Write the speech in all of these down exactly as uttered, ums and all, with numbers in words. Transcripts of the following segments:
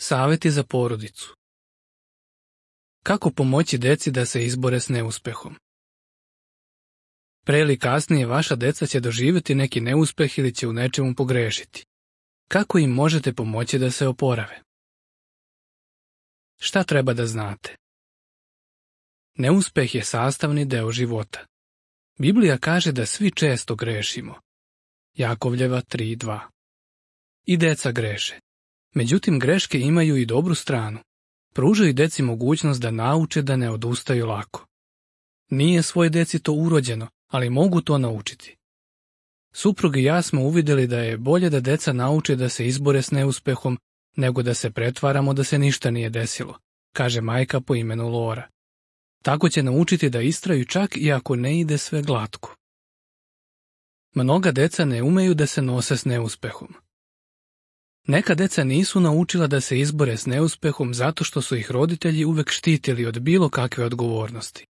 Savjeti za porodicu. Kako pomoći deci da se izbore s neuspehom? Pre ili kasnije vaša deca će doživjeti neki neuspeh ili će u nečemu pogrešiti. Kako im možete pomoći da se oporave? Šta treba da znate? Neuspeh je sastavni deo života. Biblija kaže da svi često grešimo. Jakovljeva tri dva. I deca greše. Međutim, greške imaju i dobru stranu. Pružaju deci mogućnost da nauče da ne odustaju lako. Nije svoje deci to urođeno, ali mogu to naučiti. Suprug i ja smo uvidjeli da je bolje da deca nauče da se izbore s neuspehom, nego da se pretvaramo da se ništa nije desilo, kaže majka po imenu Lora. Tako će naučiti da istraju čak i ako ne ide sve glatko. Mnoga deca ne umeju da se nose s neuspehom. Neka deca nisu naučila da se izbore s neuspehom zato što su ih roditelji uvek štitili od bilo kakve odgovornosti.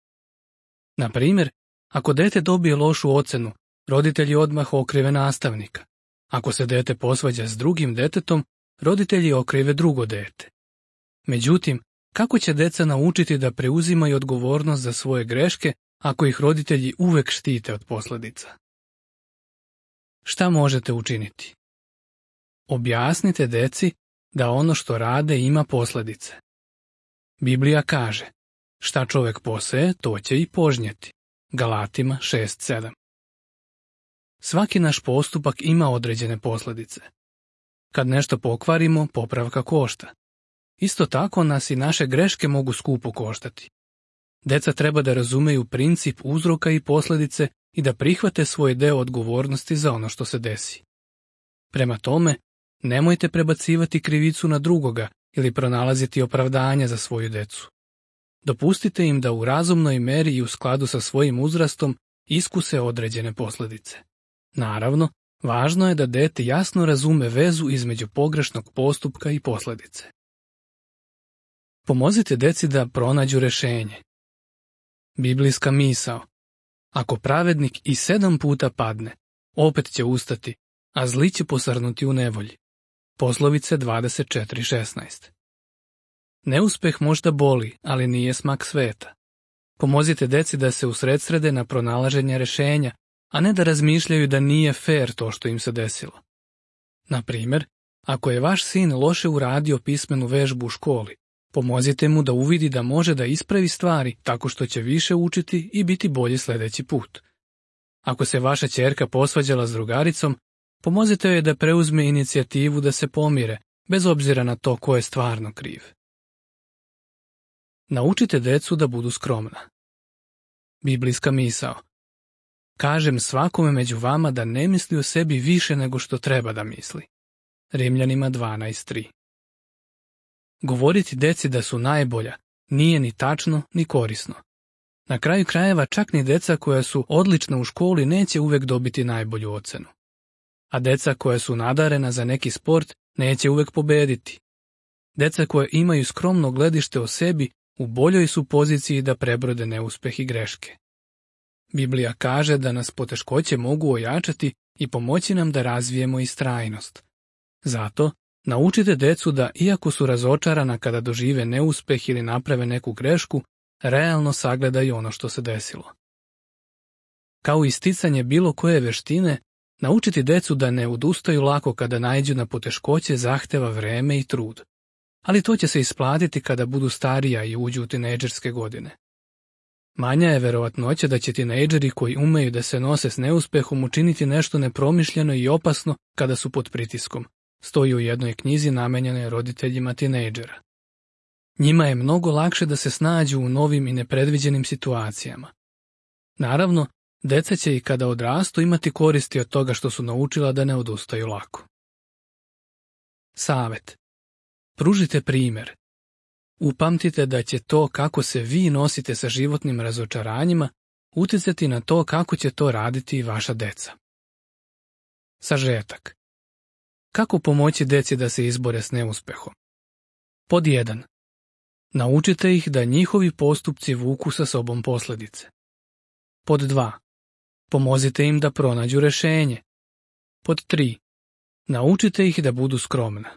Na primjer, ako dete dobije lošu ocenu, roditelji odmah okrive nastavnika. Ako se dete posvađa s drugim detetom, roditelji okrive drugo dete. Međutim, kako će deca naučiti da preuzimaju odgovornost za svoje greške ako ih roditelji uvek štite od posljedica? Šta možete učiniti? Objasnite deci da ono što rade ima posljedice. Biblija kaže, šta čovjek poseje, to će i požnjeti. Galatima šest sedam. Svaki naš postupak ima određene posljedice. Kad nešto pokvarimo, popravka košta. Isto tako nas i naše greške mogu skupo koštati. Deca treba da razumeju princip uzroka i posljedice i da prihvate svoj deo odgovornosti za ono što se desi. Prema tome, nemojte prebacivati krivicu na drugoga ili pronalaziti opravdanja za svoju decu. Dopustite im da u razumnoj meri i u skladu sa svojim uzrastom iskuse određene posljedice. Naravno, važno je da dete jasno razume vezu između pogrešnog postupka i posljedice. Pomozite deci da pronađu rešenje. Biblijska misao. Ako pravednik i sedam puta padne, opet će ustati, a zli će posrnuti u nevolji. Poslovice dvadeset četiri šesnaest. Neuspeh možda boli, ali nije smak sveta. Pomozite deci da se usredsrede na pronalaženje rešenja, a ne da razmišljaju da nije fair to što im se desilo. Na primjer, ako je vaš sin loše uradio pismenu vežbu u školi, pomozite mu da uvidi da može da ispravi stvari tako što će više učiti i biti bolji sljedeći put. Ako se vaša ćerka posvađala s drugaricom, pomozite joj da preuzme inicijativu da se pomire, bez obzira na to ko je stvarno kriv. Naučite decu da budu skromna. Biblijska misao. Kažem svakome među vama da ne misli o sebi više nego što treba da misli. Rimljanima dvanaest tri. Govoriti deci da su najbolja nije ni tačno ni korisno. Na kraju krajeva čak ni deca koja su odlična u školi neće uvek dobiti najbolju ocenu. A deca koja su nadarena za neki sport neće uvek pobediti. Deca koja imaju skromno gledište o sebi u boljoj su poziciji da prebrode neuspeh i greške. Biblija kaže da nas poteškoće mogu ojačati i pomoći nam da razvijemo istrajnost. Zato, naučite decu da, iako su razočarana kada dožive neuspeh ili naprave neku grešku, realno sagledaju ono što se desilo. Kao isticanje bilo koje veštine, naučiti decu da ne odustaju lako kada naiđu na poteškoće zahteva vreme i trud. Ali to će se isplatiti kada budu starija i uđu u tinejdžerske godine. Manja je verovatnoća da će tinejdžeri koji umeju da se nose s neuspehom učiniti nešto nepromišljeno i opasno kada su pod pritiskom, stoji u jednoj knjizi namenjenoj roditeljima tinejdžera. Njima je mnogo lakše da se snađu u novim i nepredviđenim situacijama. Naravno, deca će i kada odrastu imati koristi od toga što su naučila da ne odustaju lako. Savet. Pružite primjer. Upamtite da će to kako se vi nosite sa životnim razočaranjima uticati na to kako će to raditi i vaša deca. Sažetak. Kako pomoći deci da se izbore s neuspehom? Pod jedan. Naučite ih da njihovi postupci vuku sa sobom posljedice. Pod dva. Pomozite im da pronađu rešenje. Pod tri. Naučite ih da budu skromna.